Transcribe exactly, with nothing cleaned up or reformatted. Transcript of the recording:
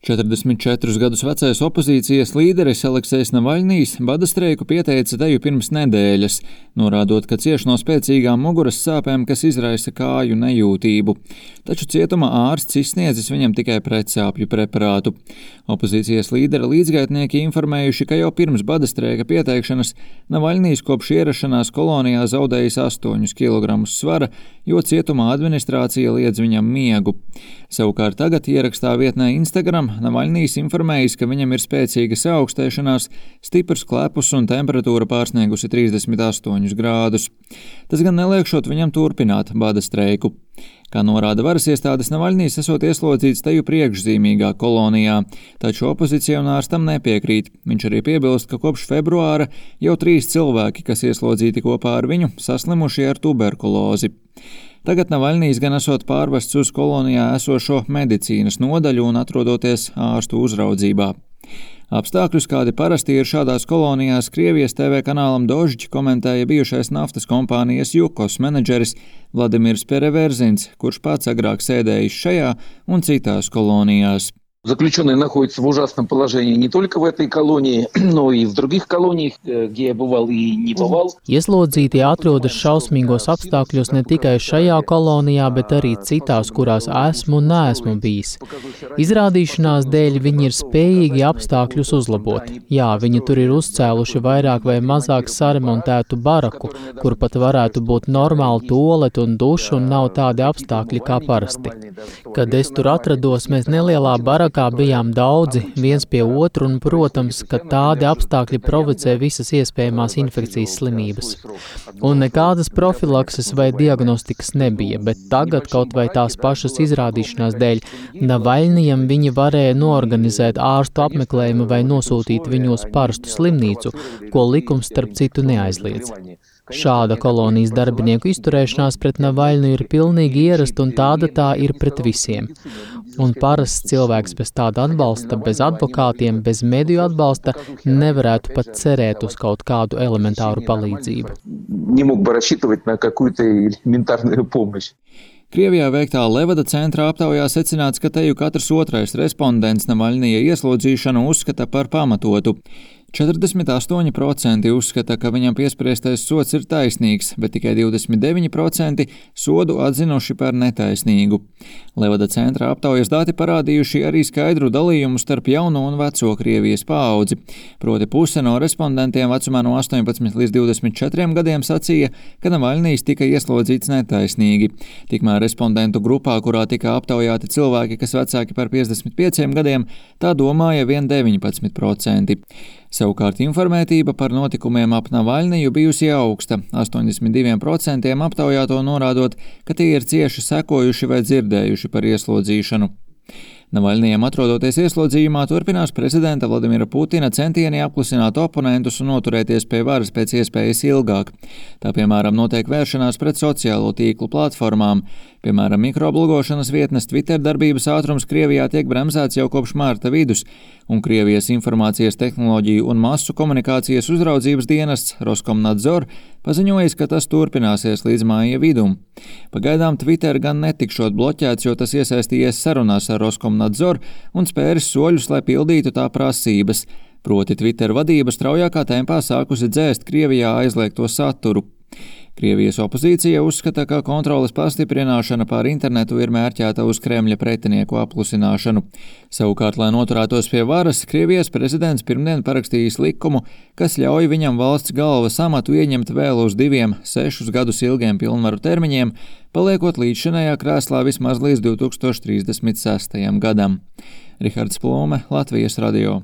četrdesmit četrus gadus vecais opozīcijas līderis Aleksejs Navaļnijs bada streiku pieteica teju pirms nedēļas, norādot, ka cieš no spēcīgām muguras sāpēm, kas izraisa kāju nejūtību. Taču cietuma ārsts izsniedzis viņam tikai pretsāpju preparātu. Opozīcijas līdera līdzgaitnieki informējuši, ka jau pirms bada streika pieteikšanas Navaļnijs kopš ierašanās kolonijā zaudējis astoņus kilogramus svara, jo cietuma administrācija liedz viņam miegu. Savukārt tagad ierakstā vietnē Instagram Navaļnijs informējis, ka viņam ir spēcīga saaugstēšanās, stiprs klepus un temperatūra pārsniegusi trīsdesmit astoņus grādus. Tas gan neliekšot viņam turpināt bada streiku. Kā norāda varas iestādes, Navaļnijs esot ieslodzīts teju priekšzīmīgā kolonijā, taču opozicionārs tam nepiekrīt. Viņš arī piebilst, ka kopš februāra jau trīs cilvēki, kas ieslodzīti kopā ar viņu, saslimuši ar tuberkulozi. Tagad Navaļnijs gan esot pārvests uz kolonijā esošo medicīnas nodaļu un atrodoties ārstu uzraudzībā. Apstākļus, kādi parasti ir šādās kolonijās, Krievijas T V kanālam Dožģi komentēja bijušais naftas kompānijas Jukos menedžeris Vladimirs Pereverzins, kurš pats agrāk sēdējis šajā un citās kolonijās. Заключенные находятся в ужасном положении не только в этой колонии, но и в других колониях, где я бывал и не bывал. Ieslodzītie atrodas šausmīgos apstākļos ne tikai šajā kolonijā, bet arī citās, kurās esmu un neesmu bijis. Izrādīšanās dēļ viņi ir spējīgi apstākļus uzlabot. Jā, viņi tur ir uzcēluši vairāk vai mazāk saremontētu baraku, kur pat varētu būt normāli tualeti un duša un nav tādi apstākļi kā parasti. Kad es tur atrados, mēs nelielā barakā kā bijām daudzi, viens pie otru, un, protams, ka tādi apstākļi provocē visas iespējamās infekcijas slimības. Un nekādas profilakses vai diagnostikas nebija, bet tagad kaut vai tās pašas izrādīšanās dēļ Navaļnijam viņi varēja noorganizēt ārstu apmeklējumu vai nosūtīt viņu uz parastu slimnīcu, ko likums starp citu neaizliedz. Šāda kolonijas darbinieku izturēšanās pret Navaļniju ir pilnīgi ierasta, un tāda tā ir pret visiem. Un parasts cilvēks bez tāda atbalsta, bez advokātiem, bez mediju atbalsta nevarētu pat cerēt uz kaut kādu elementāru palīdzību. Krievijā veiktā Levada centra aptaujā secināts, ka teju katrs otrais respondents Navaļnija ieslodzīšanu uzskata par pamatotu. četrdesmit astoņi procenti uzskata, ka viņam piespriestais sods ir taisnīgs, bet tikai divdesmit deviņi procenti sodu atzinuši par netaisnīgu. Levada centra aptaujas dati parādījuši arī skaidru dalījumu starp jauno un veco Krievijas paudzi. Proti puse no respondentiem vecumā no astoņpadsmit līdz divdesmit četriem gadiem sacīja, ka Navaļnijs tika ieslodzīts netaisnīgi. Tikmēr respondentu grupā, kurā tika aptaujāti cilvēki, kas vecāki par piecdesmit pieciem gadiem, tā domāja vien deviņpadsmit procenti. Savukārt informētība par notikumiem ap Navaļniju bijusi augsta, astoņdesmit diviem procentiem aptaujāto norādot, ka tie ir cieši sekojuši vai dzirdējuši par ieslodzīšanu. Navaļnijam atrodoties ieslodzījumā turpinās prezidenta Vladimira Putina centieni apklusināt oponentus un noturēties pie varas pēc iespējas ilgāk. Tā, piemēram, notiek vēršanās pret sociālo tīklu platformām. Piemēram, mikroblogošanas vietnes Twitter darbības ātrums Krievijā tiek bremzēts jau kopš mārta vidus, un Krievijas informācijas tehnoloģiju un masu komunikācijas uzraudzības dienests Roskomnadzor paziņojis, ka tas turpināsies līdz māja vidum. Pagaidām Twitter gan netikšot bloķēts, jo tas iesaistījies sarunās ar Roskomnadzor un spēris soļus, lai pildītu tā prasības. Proti Twitter vadība straujākā tempā sākusi dzēst Krievijā aizliegto saturu. Krievijas opozīcija uzskata, ka kontroles pastiprināšana pār internetu ir mērķēta uz Kremļa pretinieku apklusināšanu. Savukārt, lai noturētos pie varas, Krievijas prezidents pirmdien parakstījis likumu, kas ļauj viņam valsts galvas amatu ieņemt vēl uz diviem sešus gadus ilgiem pilnvaru termiņiem, paliekot līdzšinējā krēslā vismaz līdz divi tūkstoši trīsdesmit sestajam gadam. Rihards Plūme, Latvijas radio.